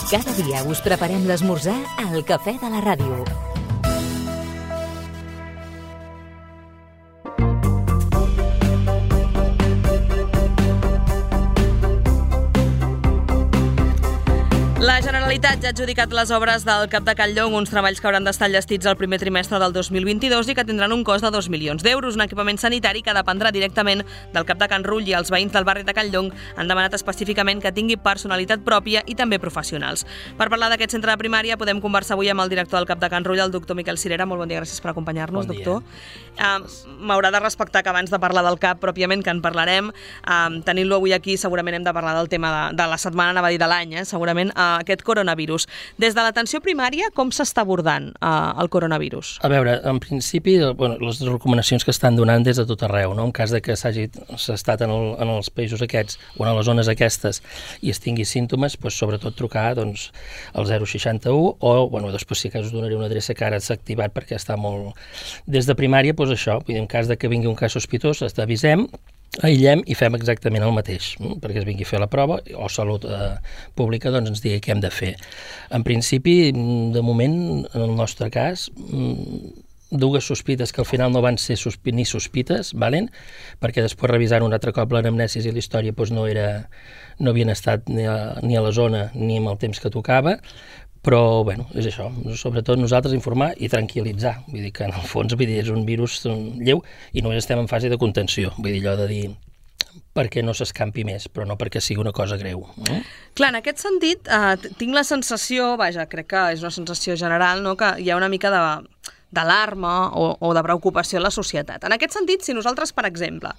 Cada dia us preparem l'esmorzar al Cafè de la Ràdio. La Generalitat ja ha adjudicat les obres del Cap de Can Llong, uns treballs que hauran d'estar enllestits al primer trimestre del 2022 i que tindran un cost de 2 milions d'euros, un equipament sanitari que dependrà directament del Cap de Can Rull, i els veïns del barri de Can Llong han demanat específicament que tingui personalitat pròpia i també professionals. Per parlar d'aquest centre de primària podem conversar avui amb el director del Cap de Can Rull, el doctor Miquel Cirera. Molt bon dia, gràcies per acompanyar-nos, doctor. M'haurà de respectar que abans de parlar del CAP pròpiament, que en parlarem, tenint-lo avui aquí segurament hem de parlar del tema de la setmana, anava a dir de l'any, segurament, aquest coronavirus. Des de l'atenció primària, com s'està abordant el coronavirus? A veure, en principi, les recomanacions que estan donant des de tot arreu, no? En cas de que s'ha estat en els països aquests o en les zones aquestes i es tingui símptomes, sobretot trucar al 061 o, després si cas us donaré una adreça que ara s'ha activat perquè està molt... Des de primària, això, en cas de que vingui un cas sospitós, t'avisem, aïllem i fem exactament el mateix, perquè es vingui a fer la prova o Salut Pública ens digui què hem de fer. En principi, de moment, en el nostre cas, dues sospites que al final no van ser ni sospites, perquè després revisant un altre cop l'anamnesis i la història no havien estat ni a la zona ni amb el temps que tocava, però, és això, sobretot nosaltres informar i tranquil·litzar, vull dir que en el fons és un virus lleu i només estem en fase de contenció, vull dir allò de dir perquè no s'escampi més, però no perquè sigui una cosa greu. Clar, en aquest sentit, tinc la sensació, crec que és una sensació general, que hi ha una mica d'alarma o de preocupació a la societat. En aquest sentit, si nosaltres, per exemple,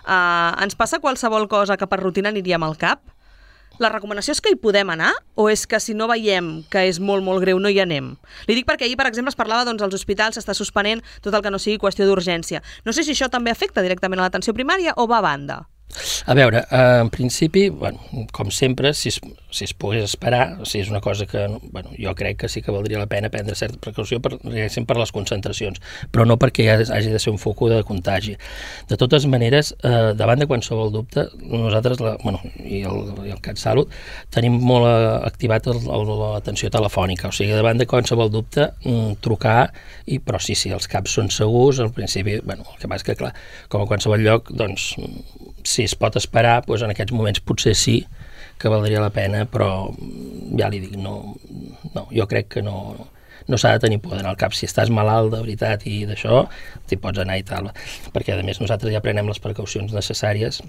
ens passa qualsevol cosa que per rutina aniríem al CAP, la recomanació és que hi podem anar o és que si no veiem que és molt, molt greu no hi anem? Li dic perquè ahir, per exemple, es parlava als hospitals s'està suspenent tot el que no sigui qüestió d'urgència. No sé si això també afecta directament a l'atenció primària o va a banda. A veure, en principi, com sempre, si es pogués esperar, si és una cosa que, jo crec que sí que valdria la pena prendre certa precaució per les concentracions, però no perquè hagi de ser un foc de contagi. De totes maneres, davant de qualsevol dubte, nosaltres, i el CatSalut, tenim molt activat l'atenció telefònica, o sigui, davant de qualsevol dubte, trucar, però sí, els CAPs són segurs, al principi, el que passa és que, clar, com a qualsevol lloc, si es pot esperar, en aquests moments potser sí que valdria la pena, però ja li dic, jo crec que no s'ha de tenir por d'anar al CAP. Si estàs malalt de veritat i d'això, t'hi pots anar i tal, perquè a més nosaltres ja prenem les precaucions necessàries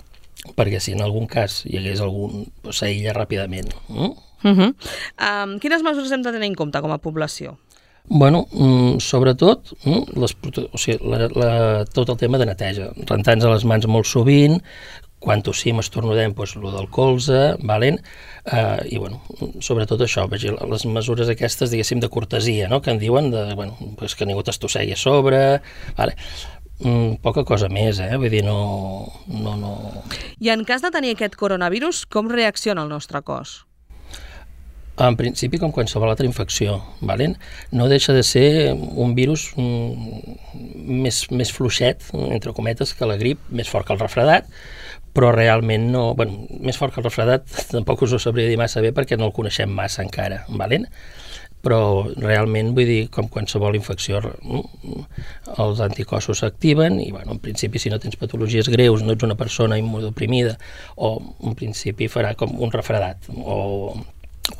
perquè si en algun cas hi hagués algun, s'aïlla ràpidament. Quines mesures hem de tenir en compte com a població? Sobretot tot el tema de neteja, rentar-nos les mans molt sovint, quan tossim, estornudem, el del colze, i sobretot això, les mesures aquestes, diguéssim, de cortesia, que en diuen que ningú t'estossegui a sobre, poca cosa més, vull dir, no... I en cas de tenir aquest coronavirus, com reacciona el nostre cos? En principi, com qualsevol altra infecció, no deixa de ser un virus més fluixet, entre cometes, que la grip, més fort que el refredat, però realment no... més fort que el refredat tampoc us ho sabria dir massa bé perquè no el coneixem massa encara, però realment, vull dir, com qualsevol infecció, els anticossos s'activen i, en principi, si no tens patologies greus, no ets una persona immunodeprimida, o en principi farà com un refredat, o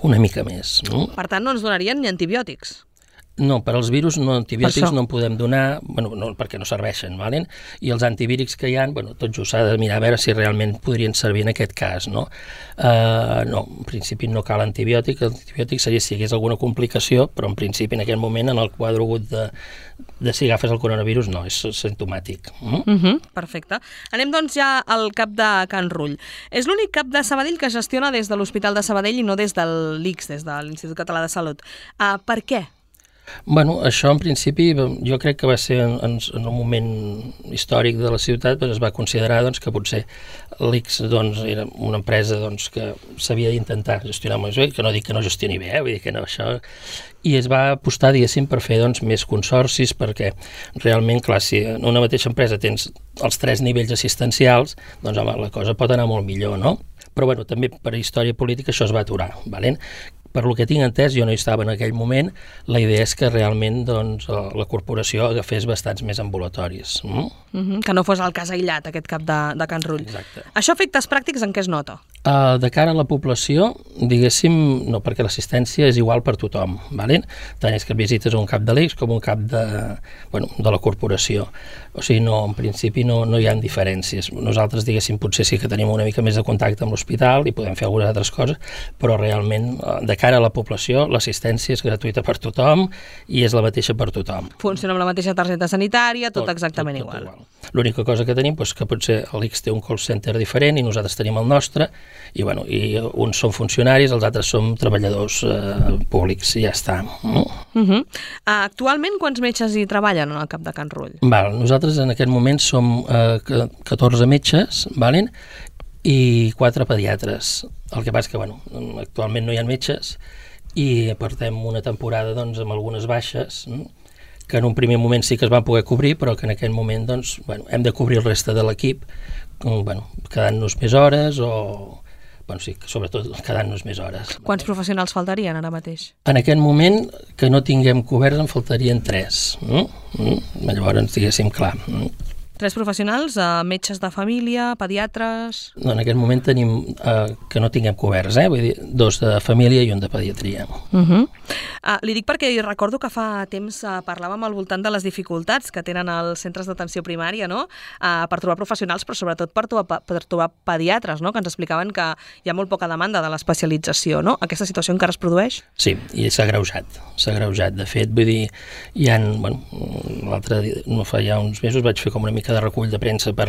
una mica més. Per tant, no ens donarien ni antibiòtics? No, per als virus antibiòtics no en podem donar, perquè no serveixen, i els antivírics que hi ha, tot just s'ha de mirar a veure si realment podrien servir en aquest cas, no, en principi no cal antibiòtic, l'antibiòtic seria si hi hagués alguna complicació, però en principi en aquest moment en el quadre agut de si agafes el coronavirus no, és simptomàtic. Perfecte. Anem doncs ja al CAP de Can Rull. És l'únic CAP de Sabadell que gestiona des de l'Hospital de Sabadell i no des de l'ICS, des de l'Institut Català de Salut. Per què? Això en principi jo crec que va ser en un moment històric de la ciutat, es va considerar que potser l'ICS era una empresa que s'havia d'intentar gestionar més bé, que no dic que no gestioni bé, vull dir que no això, i es va apostar, diguéssim, per fer més consorcis, perquè realment, clar, si en una mateixa empresa tens els 3 nivells assistencials, la cosa pot anar molt millor, no? Però també per història política això es va aturar, per lo que tinc entès, jo no hi estava en aquell moment, la idea és que realment doncs, la corporació agafés bastants més ambulatoris. Que no fos el cas aïllat, aquest CAP de Can Rull. Exacte. Això, efectes pràctics, en què es nota? De cara a la població, diguéssim, no, perquè l'assistència és igual per tothom, ¿vale? Tant és que visites un CAP de l'Eix com un CAP de la corporació. O sigui, no, en principi no hi ha diferències. Nosaltres, diguéssim, potser sí que tenim una mica més de contacte amb l'hospital i podem fer algunes altres coses, però realment, de cara a la població, l'assistència és gratuïta per tothom i és la mateixa per tothom. Funciona amb la mateixa targeta sanitària, tot exactament igual. L'única cosa que tenim és que potser l'Ix té un call center diferent i nosaltres tenim el nostre, i uns són funcionaris, els altres som treballadors públics, i ja està. Actualment, quants metges hi treballen en el CAP de Can Rull? Nosaltres en aquest moment som 14 metges, i 4 pediatres. El que passa que, actualment no hi ha metges i portem una temporada amb algunes baixes, que en un primer moment sí que es van poder cobrir, però que en aquest moment hem de cobrir el reste de l'equip, quedant-nos més hores o... sí, sobretot quedant-nos més hores. Quants professionals faltarien ara mateix? En aquest moment, que no tinguem coberts, en faltarien 3. Llavors, diguéssim, clar. 3 professionals, metges de família, pediatres... No, en aquest moment tenim que no tinguem coberts, vull dir, 2 de família i 1 de pediatria. Li dic perquè recordo que fa temps parlàvem al voltant de les dificultats que tenen els centres d'atenció primària, no? Per trobar professionals, però sobretot per trobar pediatres, no? Que ens explicaven que hi ha molt poca demanda de l'especialització, no? Aquesta situació encara es produeix? Sí, i s'ha agreujat. De fet, vull dir, l'altre dia, no fa ja uns mesos, vaig fer com una mica de recull de premsa per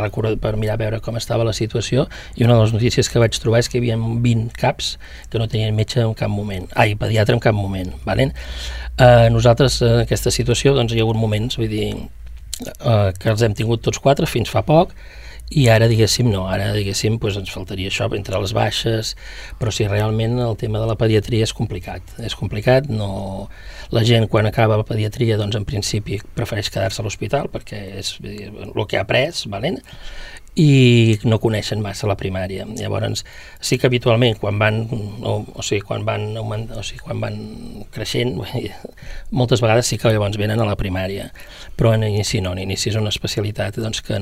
mirar a veure com estava la situació, i una de les notícies que vaig trobar és que hi havia 20 CAPs que no tenien metge en cap moment, pediatre en cap moment. Nosaltres en aquesta situació hi ha hagut moments, vull dir, que els hem tingut tots 4 fins fa poc, i ara diguéssim ens faltaria això entre les baixes, però sí, realment el tema de la pediatria és complicat, la gent quan acaba la pediatria en principi prefereix quedar-se a l'hospital perquè és el que ha après, i no coneixen massa la primària. Llavors, sí que habitualment quan van creixent, moltes vegades sí que llavors venen a la primària, però en inici no, en inici és una especialitat que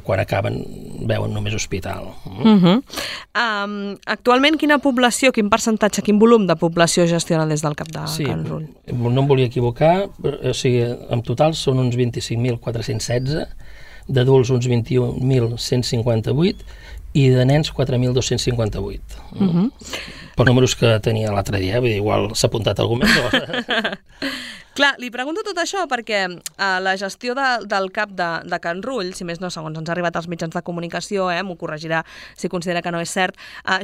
quan acaben veuen només hospital. Actualment quina població, quin percentatge, quin volum de població gestiona des del CAP de Can Rull? No em volia equivocar, en total són uns 25.416, d'adults uns 21.158 i de nens 4.258. Per números que tenia l'altre dia, igual s'ha apuntat algú més. Clar, li pregunto tot això perquè la gestió del CAP de Can Rull, si més no, segons ens ha arribat als mitjans de comunicació, m'ho corregirà si considera que no és cert,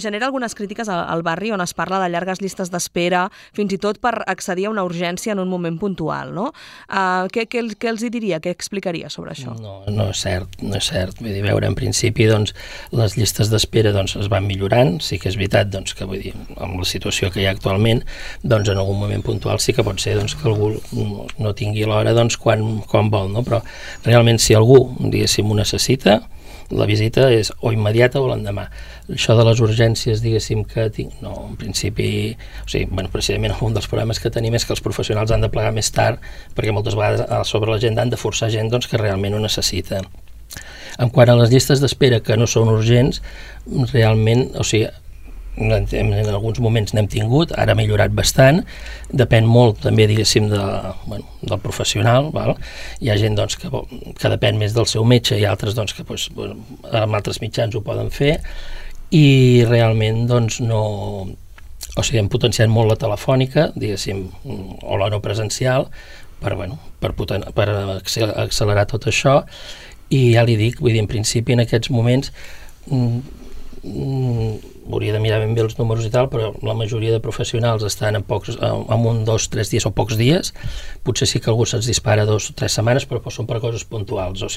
genera algunes crítiques al barri on es parla de llargues llistes d'espera, fins i tot per accedir a una urgència en un moment puntual, no? Què els hi diria, què explicaria sobre això? No és cert. Vull dir, veure, en principi, les llistes d'espera es van millorant, sí que és veritat que, vull dir, amb la situació que hi ha actualment, en algun moment puntual sí que pot ser que algú no tingui l'hora quan vol, no? Però realment si algú, diguéssim, ho necessita, la visita és o immediata o l'endemà. Això de les urgències, diguéssim, que tinc, no, en principi, precisament un dels problemes que tenim és que els professionals han de plegar més tard, perquè moltes vegades sobre l'agenda han de forçar gent que realment ho necessita. En quant a les llistes d'espera que no són urgents, realment, en alguns moments n'hem tingut, ara ha millorat bastant, depèn molt també, diguéssim, del professional, hi ha gent que depèn més del seu metge i altres que amb altres mitjans ho poden fer, i realment hem potenciat molt la telefònica, diguéssim, o la no presencial, per accelerar tot això, i ja li dic, vull dir, en principi en aquests moments hauria de mirar ben bé els números i tal, però la majoria de professionals estan en 1, 2, 3 dies o pocs dies. Potser sí que algú se'ls dispara 2 o 3 setmanes, però són per coses puntuals, o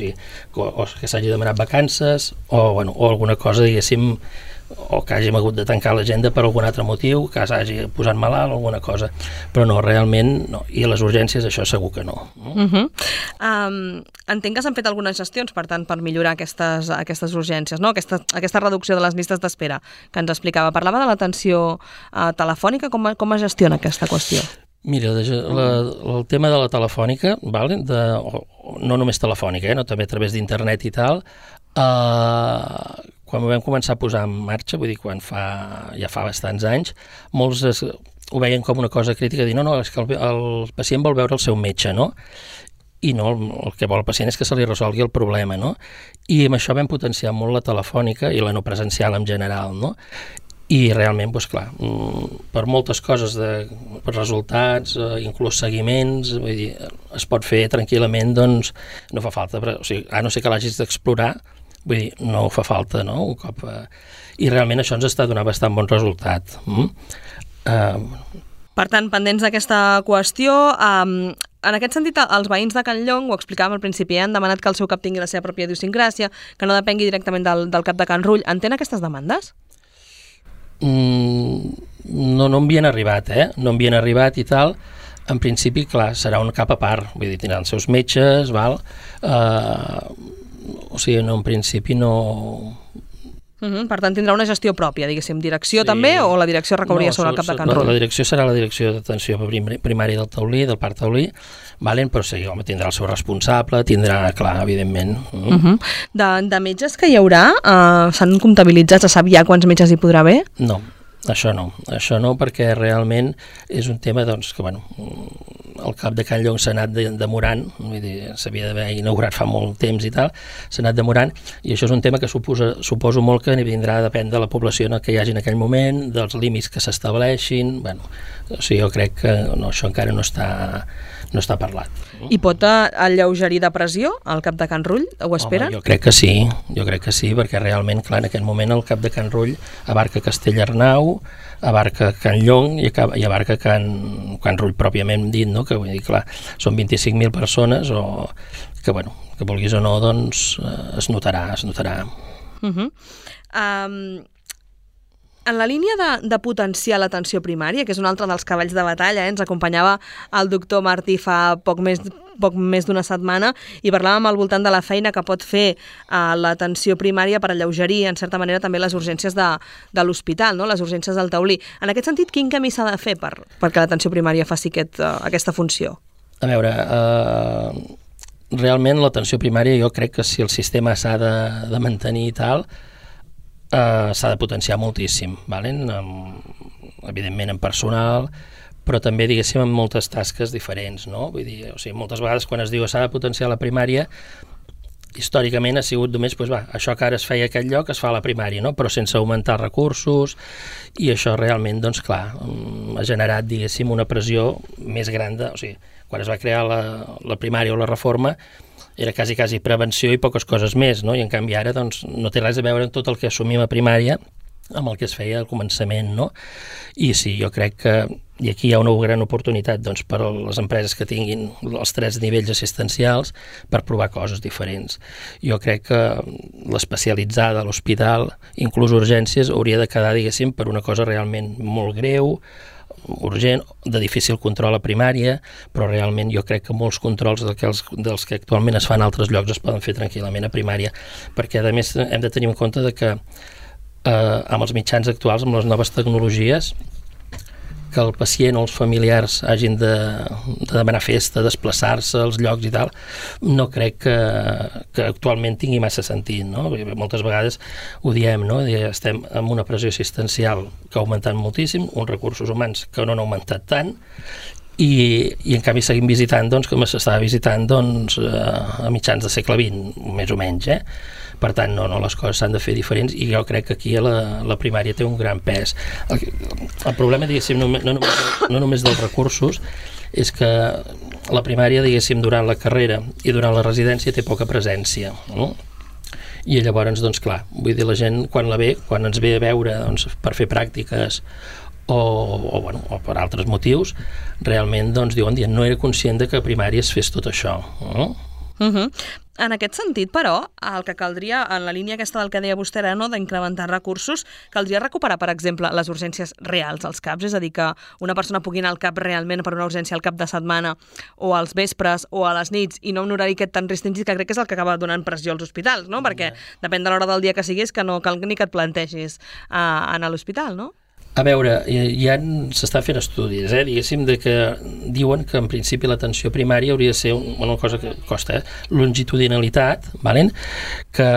que s'hagi demanat vacances o alguna cosa, diguéssim, o que hàgim hagut de tancar l'agenda per algun altre motiu, que s'hagi posat malalt o alguna cosa, però no, realment no, i a les urgències això segur que no. Entenc que s'han fet algunes gestions, per tant, per millorar aquestes urgències, no? Aquesta reducció de les llistes d'espera que ens explicava. Parlava de l'atenció telefònica, com es gestiona aquesta qüestió? Mira, el tema de la telefònica, vale? No només telefònica, no? També a través d'internet i tal, quan ho vam començar a posar en marxa, vull dir, ja fa bastants anys, molts ho veien com una cosa crítica, dir, no, és que el pacient vol veure el seu metge, no? I no, el que vol el pacient és que se li resolgui el problema, no? I amb això vam potenciar molt la telefònica i la no presencial en general, no? I realment, doncs clar, per moltes coses, per resultats, inclús seguiments, vull dir, es pot fer tranquil·lament, doncs no fa falta, o sigui, a no ser que l'hagis d'explorar, vull dir, no fa falta, no? Un cop, i realment això ens està donant bastant bon resultat. Per tant, pendents d'aquesta qüestió, en aquest sentit, els veïns de Can Llong, ho explicàvem al principi, han demanat que el seu cap tingui la seva pròpia idiosincràsia, que no depengui directament del cap de Can Rull. Entén aquestes demandes? No m'havien arribat, no m'havien arribat i tal. En principi, clar, serà un cap a part, vull dir, tindran els seus metges, val? O sigui, no, en principi no... Per tant, tindrà una gestió pròpia, diguéssim, direcció sí. També, o la direcció recauria sobre el cap de Can Rull? La direcció serà la direcció d'atenció primària del taulí, del parc taulí, valen, però sí, home, tindrà el seu responsable, tindrà, clar, evidentment. De metges que hi haurà, s'han comptabilitzat, se sap ja quants metges hi podrà haver? No, això no, perquè realment és un tema, doncs, que, bueno, el cap de Can Llong s'ha anat demorant, vull dir, s'havia d'haver inaugurat fa molt temps i tal, s'ha anat demorant, i això és un tema que suposo molt que vindrà a depèn de la població que hi hagi en aquell moment, dels límits que s'estableixin, bueno, o sigui, jo crec que no, això encara no està parlat. I pot alleugerir de pressió el cap de Can Rull? Ho esperen? Home, jo crec que sí, perquè realment, clar, en aquest moment el cap de Can Rull abarca Castellarnau, abarca Can Llong i abarca Can Rull pròpiament dit, no? Que vull dir, clar, són 25.000 persones o que, bueno, que vulguis o no, doncs es notarà. En la línia de potenciar l'atenció primària, que és un altre dels cavalls de batalla, ens acompanyava el doctor Martí fa poc més d'una setmana i parlàvem al voltant de la feina que pot fer l'atenció primària per alleugerir, en certa manera, també les urgències de l'hospital, no? Les urgències del taulí. En aquest sentit, quin camí s'ha de fer perquè l'atenció primària faci aquesta funció? A veure, realment l'atenció primària jo crec que si el sistema s'ha de mantenir i tal, s'ha de potenciar moltíssim, evidentment en personal, però també, diguéssim, en moltes tasques diferents, no? Vull dir, o sigui, moltes vegades quan es diu s'ha de potenciar la primària, històricament ha sigut només, doncs això que ara es feia a aquest lloc es fa a la primària, no? Però sense augmentar recursos, i això realment, doncs clar, ha generat, diguéssim, una pressió més gran o sigui, quan es va crear la primària o la reforma, era quasi prevenció i poques coses més, no? I en canvi ara doncs, no té res a veure amb tot el que assumim a primària amb el que es feia al començament, no? I sí, jo crec que i aquí hi ha una gran oportunitat doncs, per a les empreses que tinguin els 3 nivells assistencials per provar coses diferents. Jo crec que l'especialitzada a l'hospital, inclús urgències, hauria de quedar, diguéssim, per una cosa realment molt greu, urgent, de difícil control a primària, però realment jo crec que molts controls dels que actualment es fan a altres llocs es poden fer tranquil·lament a primària, perquè a més hem de tenir en compte que amb els mitjans actuals, amb les noves tecnologies, que el pacient o els familiars hagin de demanar festa, desplaçar-se als llocs i tal, no crec que actualment tingui massa sentit, no? Moltes vegades ho diem, no? Estem amb una pressió assistencial que ha augmentat moltíssim, uns recursos humans que no han augmentat tant, i en canvi seguim visitant, doncs, com s'estava visitant, doncs, a mitjans del segle XX, més o menys, Per tant, no, les coses s'han de fer diferents i jo crec que aquí la primària té un gran pes. El problema, diguéssim, no només dels recursos, és que la primària, diguéssim, durant la carrera i durant la residència té poca presència, no? I llavors, doncs clar, vull dir, la gent quan ens ve a veure doncs, per fer pràctiques o per altres motius, realment doncs, diuen, no era conscient que a primària es fes tot això, no? En aquest sentit, però, el que caldria, en la línia aquesta del que deia vostè ara, no, d'incrementar recursos, caldria recuperar, per exemple, les urgències reals als CAPs, és a dir, que una persona pugui anar al CAP realment per una urgència al cap de setmana o als vespres o a les nits i no un horari aquest tan restringit, que crec que és el que acaba donant pressió als hospitals, no? Perquè depèn de l'hora del dia que siguis, que no cal ni que et plantegis anar a l'hospital, no? A veure, ja s'està fent estudis, diguéssim, que diuen que en principi l'atenció primària hauria de ser una cosa que costa, longitudinalitat, que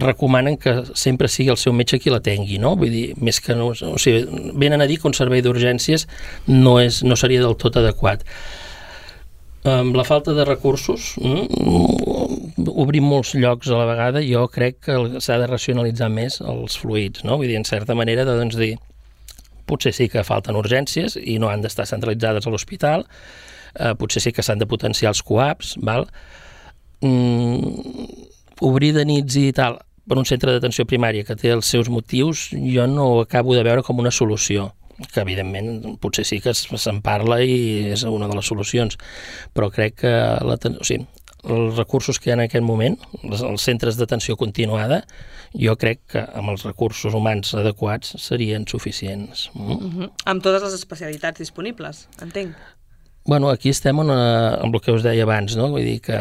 recomanen que sempre sigui el seu metge qui l'atengui, no? Vull dir, més que no... O sigui, venen a dir que un servei d'urgències no seria del tot adequat. Amb la falta de recursos, obrir molts llocs a la vegada, jo crec que s'ha de racionalitzar més els fluids, no? Vull dir, en certa manera, doncs dir, potser sí que falten urgències i no han d'estar centralitzades a l'hospital, potser sí que s'han de potenciar els CUAPs, obrir de nits i tal per un centre d'atenció primària que té els seus motius, jo no ho acabo de veure com una solució, que evidentment potser sí que se'n parla i és una de les solucions, però crec que els recursos que hi ha en aquest moment, els centres d'atenció continuada, jo crec que amb els recursos humans adequats serien suficients. Amb totes les especialitats disponibles, entenc. Bueno, aquí estem amb el que us deia abans, no? Vull dir que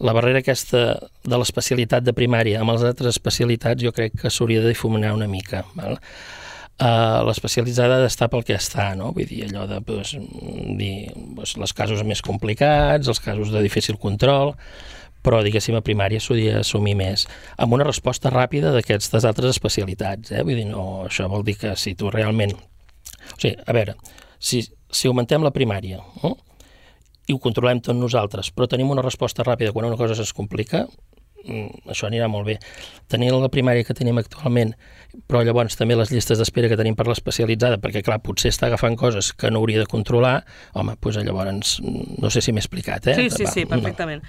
la barrera aquesta de l'especialitat de primària amb les altres especialitats jo crec que s'hauria de difuminar una mica, l'especialitzada ha d'estar pel que està, no? Vull dir, allò de els casos més complicats, els casos de difícil control, però, diguéssim, a primària s'hauria d'assumir més, amb una resposta ràpida d'aquestes altres especialitats, Vull dir, no, això vol dir que si tu realment... O sigui, a veure, si augmentem la primària i ho controlem tot nosaltres, però tenim una resposta ràpida quan una cosa es complica, això anirà molt bé. Tenir la primària que tenim actualment, però llavors també les llistes d'espera que tenim per l'especialitzada, perquè clar, potser està agafant coses que no hauria de controlar, home, doncs llavors no sé si m'he explicat, Sí, perfectament.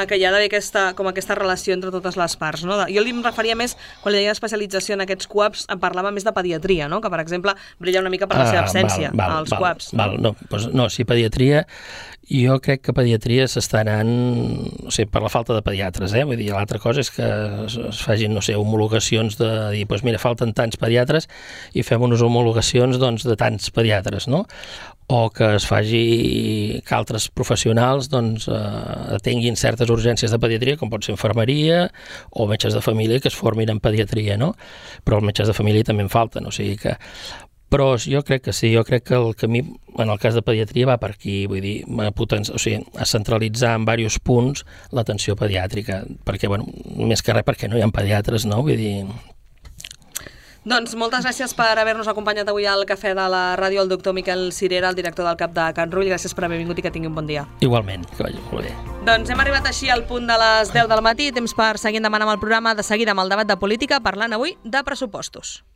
Que hi ha d'haver aquesta relació entre totes les parts, no? Jo em referia més, quan li deia especialització en aquests CUAPs, em parlava més de pediatria, no? Que per exemple brilla una mica per la seva absència, als CUAPs. No, si pediatria, jo crec que pediatria s'està anant, per la falta de pediatres, vull dir, l'altra cosa és que es facin, homologacions de dir, doncs mira, falten tants pediatres i fem unes homologacions de tants pediatres, no? O que es faci que altres professionals atenguin certes urgències de pediatria, com pot ser infermeria o metges de família que es formin en pediatria, no? Però els metges de família també en falten, o sigui que... Però jo crec que sí, jo crec que el camí, en el cas de pediatria, va per aquí, vull dir, a centralitzar en diversos punts l'atenció pediàtrica, perquè, més que res perquè no hi ha pediatres, no? Vull dir... Doncs moltes gràcies per haver-nos acompanyat avui al Cafè de la Ràdio, el doctor Miquel Cirera, el director del CAP de Can Rull. Gràcies per haver vingut i que tingui un bon dia. Igualment, que vagi molt bé. Doncs hem arribat així al punt de les 10 del matí, temps per seguir endavant amb el programa, de seguida amb el debat de política, parlant avui de pressupostos.